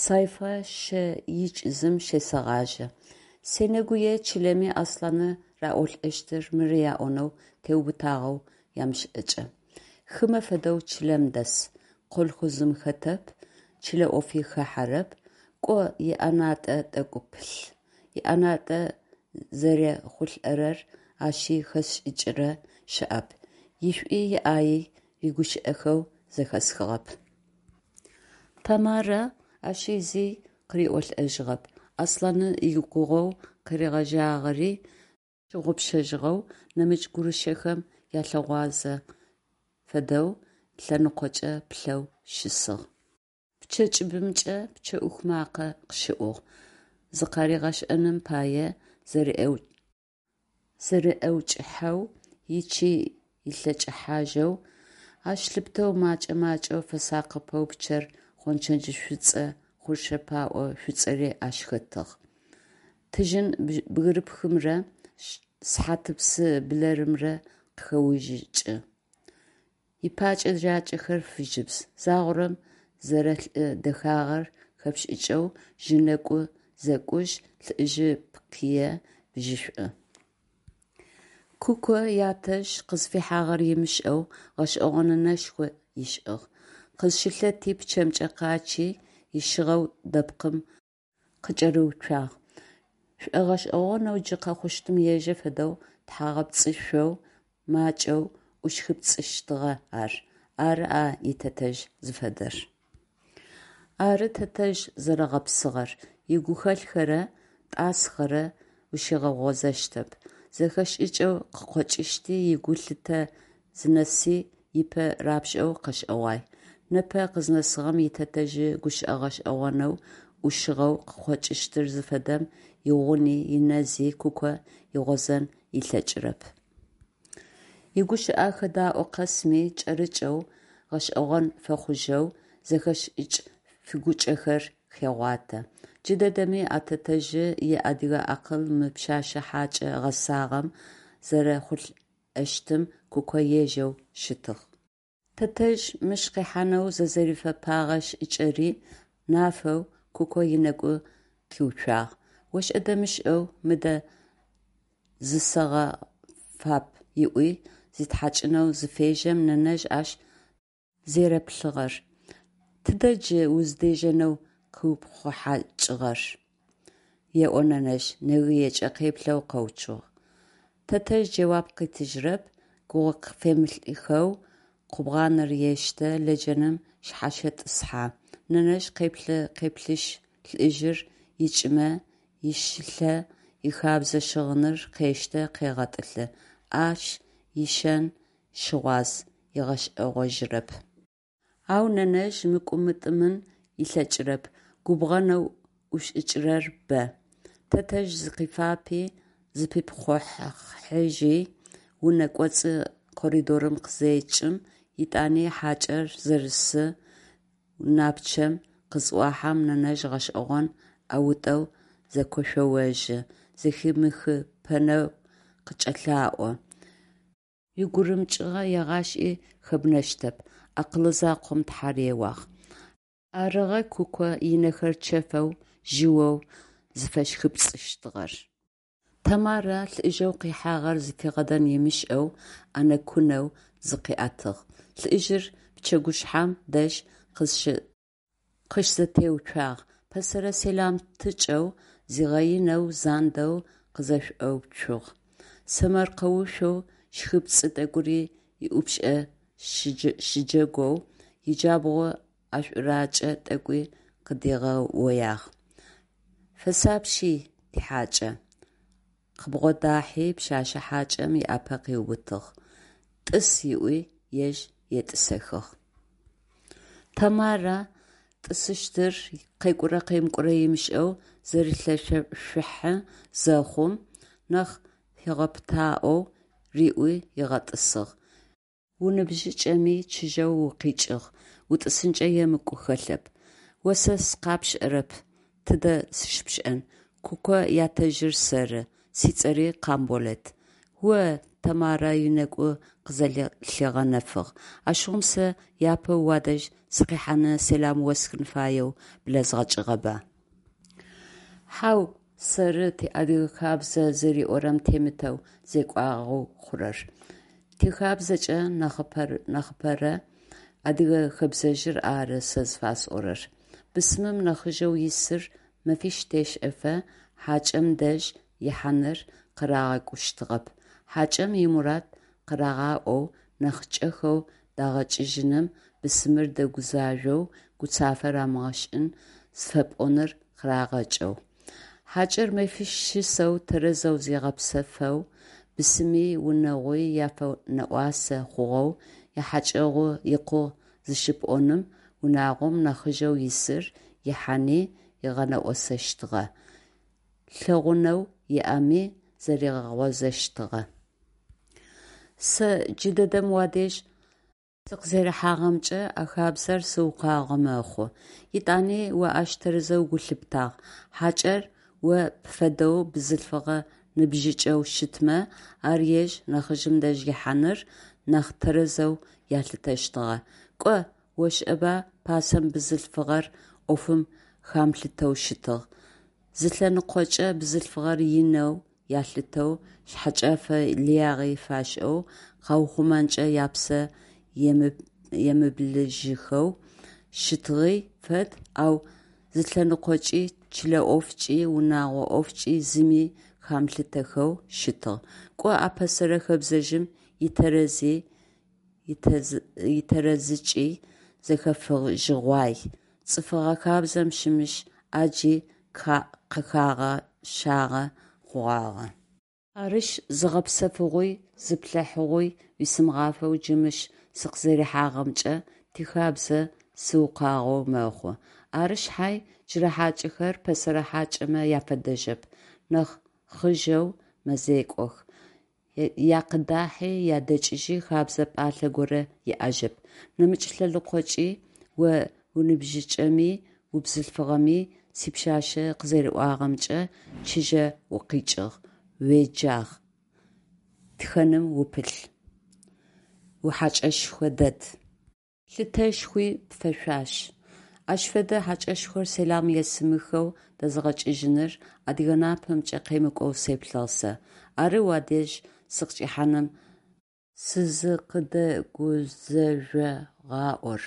Сайфа щэикӏзым щесэгъажьэ. Сенэгуе чылэми Аслъаны раӏолӏэщтыр мыры аӏонэу теубытагъэу ямышӏэкӏэ. Хымэ фэдэу чылэм дэс, колхозым хэтэп, чылэ ӏофи хахьэрэп, кӏо иӏэнатӏэ тӏэкӏу пылъ. Иӏэнатӏэ зэрехъулӏэрэр ащи хэзышӏыкӏырэ щыӏэп, ишӏуи иӏаий рыгущыӏэхэу зэхэсхыгъэп. Тэмарэ ащи зи къыриӏолӏэжьыгъэп, Аслъаны игугъоу къыригъэжьагъэри щыгъупшэжьыгъэу, нэмыкӏ гурышэхэм ялъыгъуазэ фэдэу лъэныкъокӏэ плъэу щысыгъ. Пчъэ кӏыбымкӏэ пчъэӏух макъэ къыщыӏугъ. Зыкъаригъэшӏэным пае зэриӏэукӏыхьэу, ичи илъэкӏыхьажьэу, ащ лъыпытэу мэкӏэ-макӏэу фэсакъыпэу пчъэр гъончэдж шӏуцӏэ хъуршэ пэӏо шӏуцӏэри ащ хэтыгъ, тыжьын бгырыпхымрэ сыхьатыпсы блэрымрэ къыхэужьыкӏы, ыпакӏэ-жакӏэхэр фыжьыбз, загъорэм зэрэлӏы дэхагъэр хэпшӏыкӏэу жьы нэгу зэкӏужь, лӏыжъы пкъые бжьышӏу. Куко ятэжъ къызфихьагъэр ымышӏэу гъэшӏэгъоны нэшхо ышӏыгъ. Къызщылъэти пчъэмкӏэ къачъи, ищыгъэу дэпкъым къыкӏэрыуцуагъ. Шӏогъэшӏэгъонэу джы къэхъущтым ежэ фэдэу тхьагъэпцӏышъоу макӏэу ӏущхыпцӏыщтыгъэ ар. Ары а итэтэжъ зыфэдэр. Ары тэтэжъ зэрэгъэпсыгъэр: игухэлъхэрэ тӏасхъэрэ ущигъэгъозэщтэп, зэхэшӏыкӏэу къыкъокӏыщти, игулъытэ зынэси ыпэ рапшӏэу къэшӏэгъуай. Непэ къызнэсыгъэм итэтэжъ гущыӏэ гъэшӏэгъонэу, ӏушыгъэу къыкъокӏыщтыр зыфэдэм игъуни инэзи Куко игъозэн ылъэкӏырэп. Игущыӏэ хэдаӏо къэсми кӏэрыкӏэу, гъэшӏэгъон фэхъужьэу зэхэшӏыкӏ фыгукӏэхэр хегъуатэ. Джыдэдэми а тэтэжъы иадыгэ акъыл мы пшъэшъэ хьакӏэ гъэсагъэм зэрехъулӏэщтым Куко ежэу щытыгъ. Тэтэжъ мыщ къихьанэу зызэрифэпэгъэ шӏыкӏэри нафэу Куко ынэгу къиуцуагъ. Ошӏэ-дэмышӏэу «мыдэ зысэгъэфап» ыӏуи зитхьакӏынэу зыфежьэм, нэнэжъ ащ зэреплъыгъэр «Тыдэ джы уздежьэнэу къыупхъухьакӏыгъэр?» еӏо нэнэжъ, нэгыекӏэ къеплъэу къэуцугъ. Тэтэжъ джэуап къытыжьырэп, гугъуфемылӏыхэу къубгъаныр ештэ, лэджэным шъхьащэтӏысхьэ. Нэнэжъ къеплъы-къеплъышъ, лӏыжъыр икӏымэ, ишылъэ ихабзэ щыгъыныр къештэ, къегъэтӏылъы. Ащ ишэн щыгъуаз, ыгъэшӏэгъожьырэп. Ау нэнэжъ мыкӏумытӏымын ылъэкӏырэп, губгъэнэу ӏушӏыкӏырэр бэ. Тэтэжъ зыкъифапи, зыпипхъухьажьи, унэ кӏоцӏы коридорым къызекӏым, етӏани хьакӏэр зэрысы унапчъэм къызӏохьэм, нэнэжъ гъэшӏэгъон ӏэутӏэу зэкошъоожьы, зэхимыхыпэнэу къыкӏэлъэӏу: «Уигурымыкӏыгъэ егъашӏи хэбнэщтэп, акъылы закъом тхьар еуагъ». Арыгъэ Куко ынэхэр чэфэу, жъыоу зыфэщхыпцӏыщтыгъэр. Тэмарэ лӏыжъэу къихьагъэр зыфигъэдэн ымышӏэу ӏэнэ-кунэу зыкъиӏэтыгъ. Лӏыжъыр пчэгушъхьэм дэжь къыщызэтеуцуагъ, пэсэрэ сэлам тыкӏэу, зигъэинэу, зандэу къызэшӏоуцугъ. Сэмэркъэушъоу, щхыпцӏы тӏэкӏури ыӏупшӏэ щыджэгоу, иджабгъу ӏэшӏуракӏэ тӏэкӏуи къыдигъэоягъ: «Фэсапщи, тихьакӏэ», къыбгъодахьи пшъэшъэ хьакӏэм ыӏапэ къыубытыгъ, «тӏыс» ыӏуи, ежь етӏысэхыгъ. Тэмарэ тӏысыщтыр къекӏурэ-къемыкӏурэ ымышӏэу зэрилъэшъухьэ зэхъум, нахь фигъэпытаӏоу риӏуи ыгъэтӏысыгъ: «Уныбжьыкӏэми, чыжьэу укъикӏыгъ, утӏысынкӏэ емыкӏу хэлъэп». «О сэ сыкъапшӏэрэп, тыдэ сыщыпшӏэн, Куко ятэжъыр сэры, сцӏэри Къамболэт». «О-о, – Тэмарэ ынэгу къызэлъигъэнэфыгъ, – ащыгъум сэ япэу уадэжь сыкъихьаны сэлам осхын фаеу блэзгъэкӏыгъэба? Хьау, сэры тиадыгэ хабзэ зэриӏорэм темытэу зекӏуагъэу хъурэр. Тихабзэкӏэ нахьыпэрэ адыгэ хэбзэжъыр ары сэ зыфасӏорэр. Бысымым нахьыжъэу исыр мэфищ тешӏэфэ хьакӏэм дэжь ихьаныр къырагъэкӏущтыгъэп, хьакӏэм имурад къырагъаӏоу, нахь кӏэхэу дагъэкӏыжьыным бысымыр дэгузажъоу, гуцафэ рамыгъэшӏын зыфэпӏоныр къырагъэкӏэу. Хьакӏэр мэфищ щысэу тэрэзэу зигъэпсэфэу, бысыми, унагъуи яфэнэӏуасэ хъугъэу, ихьэкӏэгъу икъугъ зыщыпӏоным унагъом нахьыжъэу исыр ихьани ыгъэнэӏосэщтыгъэ, лъэгъунэу иӏэми зэригъэгъозэщтыгъэ. Сэ джыдэдэм уадэжь сыкъызэрихьагъэмкӏэ а хабзэр сыукъуагъэ мэхъу. Етӏани о ащ тэрэзэу гу лъыптагъ. Хьакӏэр о пфэдэу бзылъфыгъэ ныбжьыкӏэу щытмэ, ар ежь нахьыжъым дэжь ихьаныр нахь тэрэзэу ялъытэщтыгъэ. Кӏо, ошӏэба, пасэм бзылъфыгъэр ӏофым хамылъытэу щытыгъ. Зы лъэныкъокӏэ бзылъфыгъэр инэу ялъытэу, шъхьэкӏэфэ лыягъи фашӏэу, къаухъумэнкӏэ япсэ емыблыжьыхэу щытыгъи фэд, ау зы лъэныкъокӏи чылэ ӏофкӏи, унэгъо ӏофкӏи зыми хамылъытэхэу щытыгъ. Кӏо, а пэсэрэ хэбзэжъым итэрэзи итэрэзыкӏи зэхэфыжьыгъуай, цӏыфыгъэ хабзэм щымыщ ӏаджи къыхагъэщагъэ хъугъагъэ. Арышъ, зыгъэпсэфыгъуи зыплъыхьыгъуи уисымыгъафэу джы мыщ сыкъызэрихьагъэмкӏэ тихабзэ сыукъуагъэу мэхъу. Ары шъхьай, джырэ хьакӏэхэр пэсэрэ хьакӏэмэ яфэдэжьэп, нахь хъыжъэу мэзекӏох, якъыдахьи ядэкӏыжьи хэбзэ пӏалъэ горэ иӏэжьэп. Нэмыкӏ лъэныкъокӏи, о уныбжьыкӏэми, убзылъфыгъэми, сипшъашъэ къызэриӏуагъэмкӏэ, чыжьэ укъикӏыгъ, уеджагъ, тхэным упылъ, ухьэкӏэшхо дэд. Лъытэшхуи пфэшъуаш. Ащ фэдэ хьакӏэшхор сэлам есымыхэу дэзгъэкӏыжьыныр адыгэ напэмкӏэ къемыкӏоу сеплъыгъ сэ. Ары уадэжь сыкъыкӏихьаным сызыкӏыдэгузэжъогъаӏор.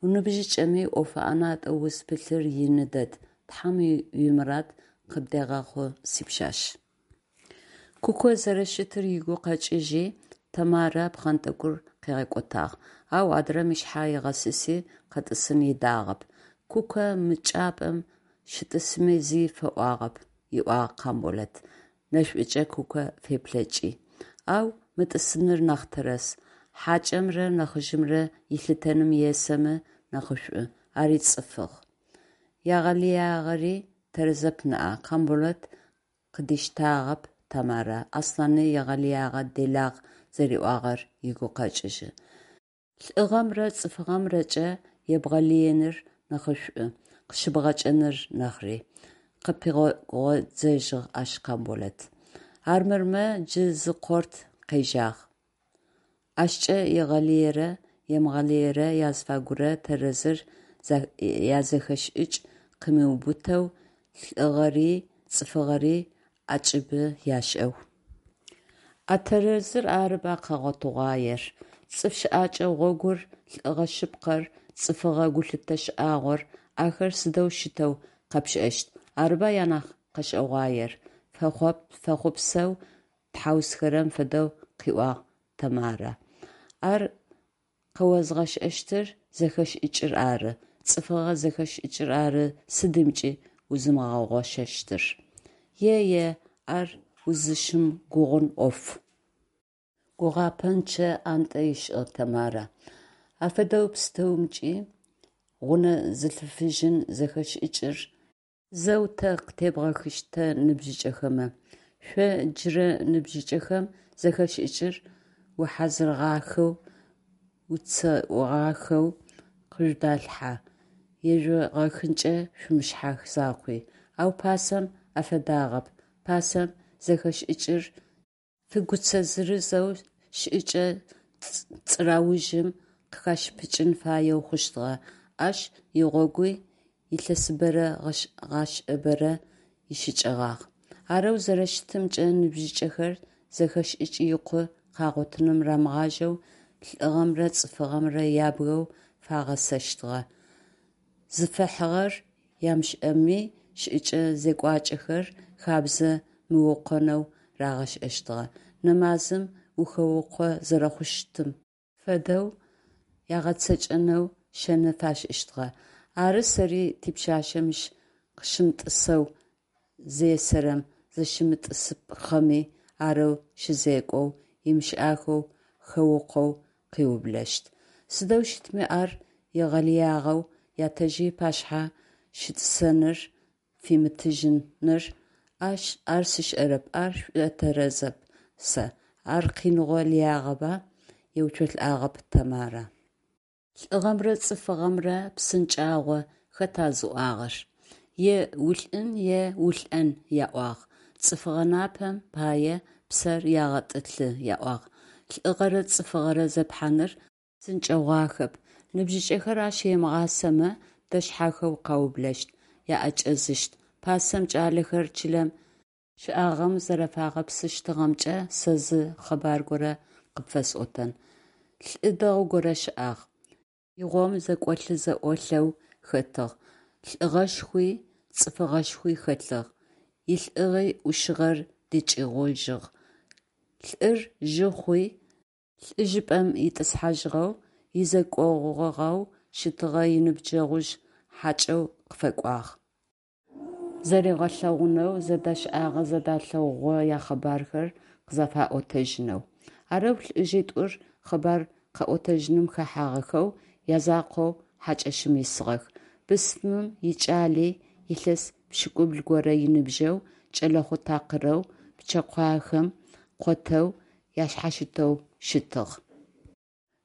Уныбжьыкӏэми, ӏофы ӏэнатӏэу узпылъыр ины дэд, Тхьэм уимурад къыбдегъэхъу, сипшъашъ. Куко зэрэщытыр ыгу къэкӏыжьи, Тэмарэ пхъэнтӏэкӏур къыгъэкӏотагъ, ау адрэм ышъхьэ ыгъэсыси къэтӏысын ыдагъэп. Куко мы чӏыпӏэм щытӏысми зи фэӏуагъэп, ыӏуагъ Къамболэт, нэшӏукӏэ Куко феплъэкӏи. Ау мытӏысыныр нахь тэрэз. Хьакӏэмрэ нахьыжъымрэ ылъытэным есэмэ нахьышӏу, ари цӏыфыгъ. Егъэлыягъэри тэрэзэп ныӏа, Къамболэт къыдиштагъэп Тэмарэ, Аслъани егъэлыягъэ делагъ зэриӏуагъэр ыгу къэкӏыжьы. Лӏыгъэмрэ цӏыфыгъэмрэкӏэ ебгъэлыеныр нахьышӏу, къыщыбгъэкӏэн нахьри, къыпигъодзыжьыгъ ащ Къамболэт. Армырмэ джы зы къорт къежьагъ. Ащкӏэ егъэлыерэ емыгъэлыерэ языфагурэ тэрэзыр язэхэшӏыкӏ къымыубытэу, лӏыгъэри цӏыфыгъэри ӏэкӏыбы яшӏэу. А тэрэзыр арыба къэгъотыгъуаер. Цӏыф щыӏэкӏэ гъогур, лӏыгъэ шъыпкъэр, цӏыфыгъэ гулъытэ шӏагъор, ахэр сыдэу щытэу къэпшӏэщт? Арыба анахь къэшӏэгъуаер, фэхъопсэу тхьаусхэрэм фэдэу къыӏуагъ Тэмарэ. Ар къэозгъэшӏэщтыр зэхэшӏыкӏыр ары, цӏыфыгъэ зэхэшӏыкӏыр ары сыдымкӏи узымыгъэгъощэщтыр. Е-е, ар узыщымыгугъын ӏоф. Гугъапӏэнчъэ ӏантӏэ ышӏыгъ Тэмарэ. Афэдэу пстэумкӏи гъунэ зылъыфыжьын зэхэшӏыкӏыр зэу тэ къытебгъэхыщт тэ ныбжьыкӏэхэмэ. Шъо, джырэ ныбжьыкӏэхэм, зэхэшӏыкӏыр ухьазырыгъахэу, уцэӏугъахэу къыжъудалъхьэ, ежъугъэхынкӏэ шъумышъхьах закъуи. Ау пасэм афэдагъэп, пасэм зэхэшӏыкӏыр фыгуцэ зырызэу шӏыкӏэ цӏыраужъым къыхашыпыкӏын фаеу хъущтыгъэ, ащ игъогуи илъэсыбэрэ гъэшӏабэрэ ищыкӏэгъагъ. Арэу зэрэщытымкӏэ, ныбжьыкӏэхэр зэхэшӏыкӏ икъу къагъотыным рамыгъажьэу лӏыгъэмрэ цӏыфыгъэмрэ ябгэу фагъасэщтыгъэ, зыфэхьыгъэр ямышӏэми, шӏыкӏэ-зекӏуакӏэхэр, хабзэ мыукъонэу рагъашӏэщтыгъэ, нэмазым ухэукъо зэрэхъущтым фэдэу ягъэцэкӏэнэу шэны фашӏыщтыгъэ. Ары сэри типшъашъэ мыщ къыщымытӏысэу зесэрэм, зыщымытӏысыпхъэми арэу щызекӏоу, имышӏахэу хэукъоу къыублэщт. Сыдэу щытми ар егъэлыягъэу ятэжъ ыпашъхьэ щытӏысэныр фимытыжьыныр, ар сшӏэрэп, ар сшӏотэрэзэп сэ, ар къиныгъо лыягъэба? Еуцолӏагъэп Тэмарэ. Лӏыгъэмрэ цӏыфыгъэмрэ псынкӏагъо хэта зыӏуагъэр? Е улӏын, е улӏэн яӏуагъ. Цӏыфыгъэ напэм пае псэр ягъэтӏылъы яӏуагъ. Лӏыгъэрэ цӏыфыгъэрэ зепхьаныр псынкӏэгъуахэп. Ныбжьыкӏэхэр ащ емыгъасэмэ, дэшъхьахэу къаублэщт, аӏэкӏэзыщт. Пасэм кӏалэхэр чылэм щыӏагъэм зэрэфагъэпсыщтыгъэмкӏэ сэ зы къэбар горэ къыпфэсӏотэн. Лӏы дэгъу горэ щыӏагъ. Игъом зэкӏолъы-зэӏолъэу хэтыгъ, лӏыгъэшхуи цӏыфыгъэшхуи хэлъыгъ, илӏыгъи ӏушыгъэр дыкӏыгъужьыгъ. Лӏыр жъы хъуи лӏыжъыпӏэм итӏысхьажьыгъэу, изекӏогъугъэу щытыгъэ иныбджэгъужъ хьакӏэу къыфэкӏуагъ. Зэригъэлъэгъунэу, зэдашӏагъэ-зэдалъэгъугъэ якъэбархэр къызэфаӏотэжьынэу. Арэу лӏыжъитӏур къэбар къэӏотэжьыным хэхьагъэхэу язакъоу хьакӏэщым исыгъэх. Бысымым икӏали, илъэс пшӏыкӏубл горэ ыныбжьэу, кӏэлэхъу такъырэу, пчъэкъуахэм къотэу, ашъхьащытэу щытыгъ.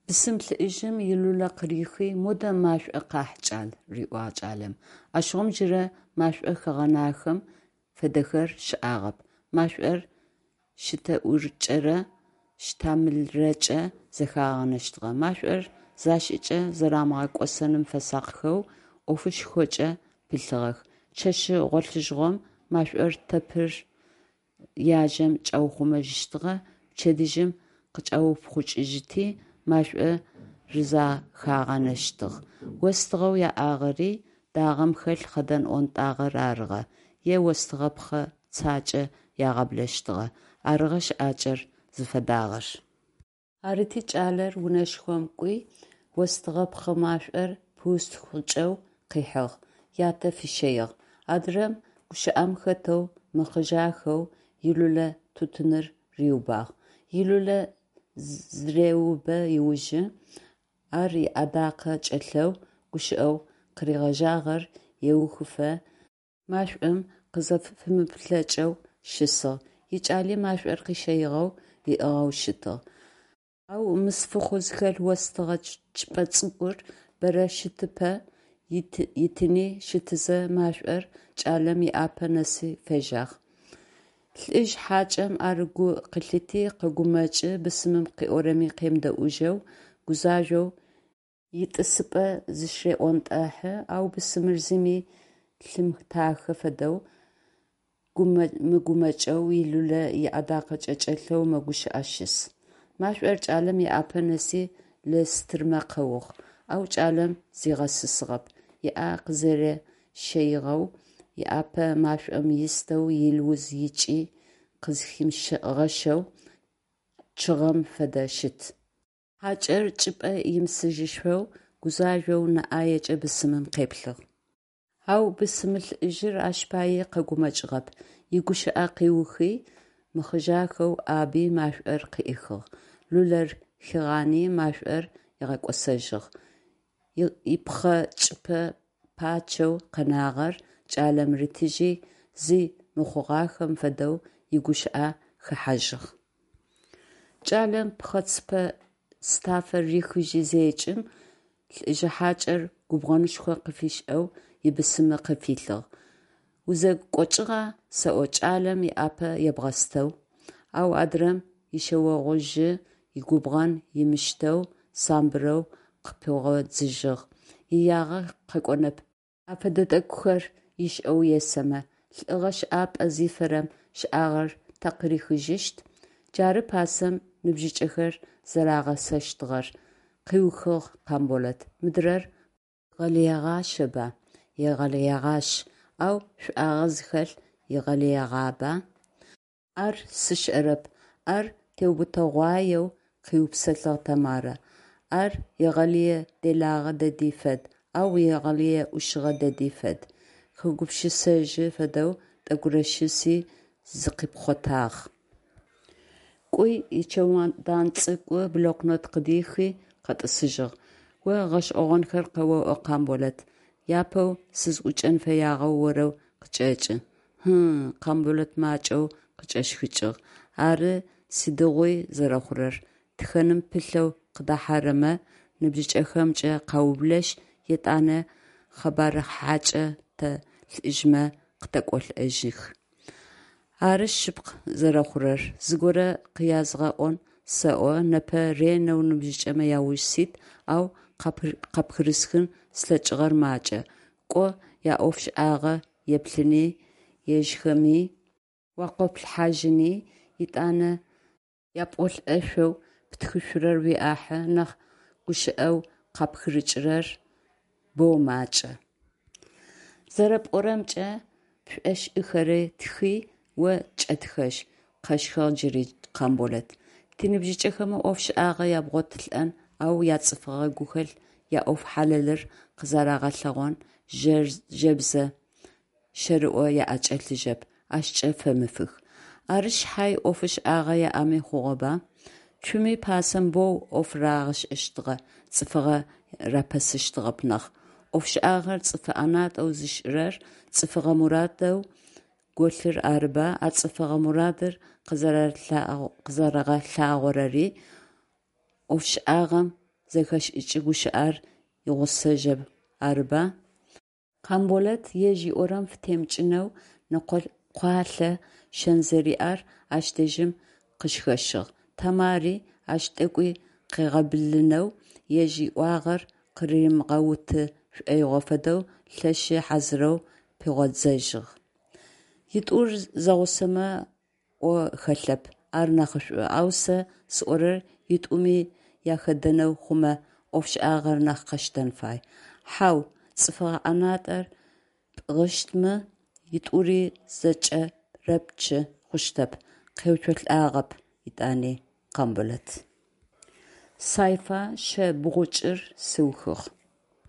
Бысым лӏыжъым илулэ къырихи «Модэ машӏо къахь, кӏал», – риӏуагъ кӏалэм. Ащыгъум джырэ машӏо хэгъэнахэм фэдэхэр щыӏагъэп, машӏор щтэӏуркӏэрэ щтамылрэкӏэ зэхагъанэщтыгъэ. Машӏор зашӏыкӏэ зэрамыгъэкӏосэным фэсакъхэу, ӏофышхокӏэ пылъыгъэх. Чэщы гъолъыжьыгъом машӏор тэпыр яжьэм чӏаухъумэжьыщтыгъэ, пчэдыжьым къычӏаупхъукӏыжьыти, машӏо рызэхагъанэщтыгъ. Остыгъэу яӏагъэри дагъэм хэлъ хъэдэн ӏонтӏагъэр арыгъэ, е остыгъэ пхъэ цакӏэ ягъаблэщтыгъэ. Арыгъэ щыӏакӏэр зыфэдагъэр. Арыти кӏалэр унэшхом кӏуи, остыгъэ пхъэ машӏор пыустхъукӏэу къыхьыгъ, ятэ фищэигъ. Адрэм гущыӏэм хэтэу мыхъыжъахэу илулэ тутыныр риубагъ. Илулэ зыреубэ ыужы, ар ыӏэдакъэ чӏэлъэу гущыӏэу къыригъэжьагъэр еухыфэ машӏом къызэфымыплъэкӏэу щысыгъ, икӏали машӏор къыщэигъэу ыӏыгъэу щытыгъ. Ау мысфыхъу зыхэлъ остыгъэ чыпӏэ цӏыкӏур бэрэ щытыпэ итыни щытызэ машӏор кӏалэм ыӏапэ нэсы фежьагъ. Лӏыжъ хьакӏэм ар гу къылъити, къэгумэкӏи, бысымым къыӏорэми къемыдэӏужьэу, гузажъоу итӏысыпӏэ зыщыреӏонтӏэхьы, ау бысымыр зыми лъимытахэ фэдэу, мыгумэкӏэу илулэ ыӏэдакъэ кӏэлъэу мэгущыӏэ щыс. Машӏор кӏалэм ыӏапэ нэси лэстырмэ къэугъ, ау кӏалэм зигъэсысыгъэп, ыӏэ къызэрэщэигъэу, ыӏапэ машӏом истэу, илыуз икӏи къызхимыгъэщэу чъыгъэм фэдэ щыт. Хьакӏэр чӏыпӏэ имысыжьышъоу гузажъоу нэ ӏаекӏэ бысымым къеплъыгъ. Ау бысымлӏыжъыр ащ паий къэгумэкӏыгъэп, игущыӏэ къыухи, мыхъыжъахэу ӏаби машӏор къыӏихыгъ, лулэр хигъани машӏор ыгъэкӏосэжьыгъ, ипхъэцыпэ пачэу къэнагъэр кӏалэм ритыжьи, зи мыхъугъахэм фэдэу игущыӏэ хэхьажьыгъ. Кӏалэм пхъэцыпэ стафэр рихыжьи зекӏым, лӏыжъ хьакӏэр губгъэнышхо къыфишӏэу ибысымы къыфилъыгъ: «Узэкӏокӏыгъа сэӏо кӏалэм ыӏапэ ебгъэстэу?!» Ау адрэм ишъэогъужъы игубгъэн ымыштэу, самбырэу къыпигъодзыжьыгъ: Иягъэ къэкӏонэп а фэдэ тӏэкӏухэр ышӏэу есэмэ. Лӏыгъэ щыӏапӏэ зифэрэм щыӏагъэр тэ къырихыжьыщт? Джары пасэм ныбжьыкӏэхэр зэрагъасэщтыгъэр, – къыухыгъ Къамболэт. Мыдрэр егъэлыегъащэба? Егъэлыегъащ, ау шӏуагъэ зыхэлъ егъэлыягъэба? Ар сшӏэрэп, ар теубытэгъуаеу къыупсэлъыгъ Тэмарэ. Ар егъэлые делагъэ дэди фэд, ау егъэлые ӏушыгъэ дэди фэд. Хэгупшысэжьы фэдэу тӏэкӏурэ щыси, зыкъипхъотагъ. Кӏуи ичемодан цӏыкӏу блокнот къыдихи, къэтӏысыжьыгъ. О гъэшӏэгъонхэр къэоӏо, Къамболэт, япэу сызӏукӏэн фэягъэр орэу къычӏэкӏын. Хьы-ы, – Къамболэт макӏэу къыкӏэщхыкӏыгъ. Ары сыдигъуи зэрэхъурэр, тхэным пылъэу къыдэхьэрэмэ ныбжьыкӏэхэмкӏэ къаублэшъ, етӏанэ къэбарыхьакӏэ тэ, лӏыжъмэ, къытэкӏолӏэжьых. Ары шъыпкъ зэрэхъурэр. Зыгорэ къыязгъэӏон сэӏо, непэ ренэу ныбжьыкӏэмэ ауж сит, ау къапхырысхын слъэкӏыгъэр макӏэ. Кӏо яӏофшӏагъэ еплъыни, ежьхэми уакъоплъыхьажьыни, етӏанэ япӏолӏэшъоу птхышъурэр уиӏахьы нахь гущыӏэу къапхырыкӏырэр боу макӏэ. Зэрэпӏорэмкӏэ пшӏошӏыхэри тхи, о кӏэтхэжь, къэщхыгъ джыри Къамболэт. Тиныбжьыкӏэхэмэ ӏофшӏагъэ ябгъотылӏэн, ау яцӏыфыгъэ гухэлъ, яӏоф хьалэлыр къызэрагъэлъэгъон жэбзэ щэрыо аӏэкӏэлъыжьэп, ащкӏэ фэмыфых. Ары шъхьай ӏофшӏагъэ яӏэми хъугъэба? Цуми пасэм боу ӏоф рагъашӏэщтыгъэ, цӏыфыгъэ рапэсыщтыгъэп нахь. ӏофшӏагъэр цӏыфы ӏэнатӏэу зышӏырэр цӏыфыгъэ мурадэу голъыр арыба, а цӏыфыгъэ мурадыр къызэрэгъэлъагъорэри ӏофшӏагъэм зэхэшӏыкӏ гущыӏэр игъусэжьэу арыба? Къамболэт ежь ыӏорэм фытемыкӏынэу нэкъокъуалъэ шэн зэриӏэр ащ дэжьым къыщхэщыгъ. Тэмари ащ тӏэкӏуи къыгъэбылъынэу, ежь ыӏуагъэр къыримыгъэуты шӏоигъо фэдэу лъэшы хьазырэу пигъодзыжьыгъ. Итӏур зэгъусэмэ ӏо хэлъэп, ар нахьышӏу, ау сэ сӏорэр итӏуми яхэдэнэу хъумэ, ӏофшӏагъэр нахь къэштэн фай. Хьау, цӏыфыгъэ ӏэнатӏэр пӏыгъыщтмэ, итӏури зэкӏэрэпчы хъущтэп, къеуцолӏагъэп етӏани Къамболэт. Сайфа шъэ бгъукӏыр сыухыгъ.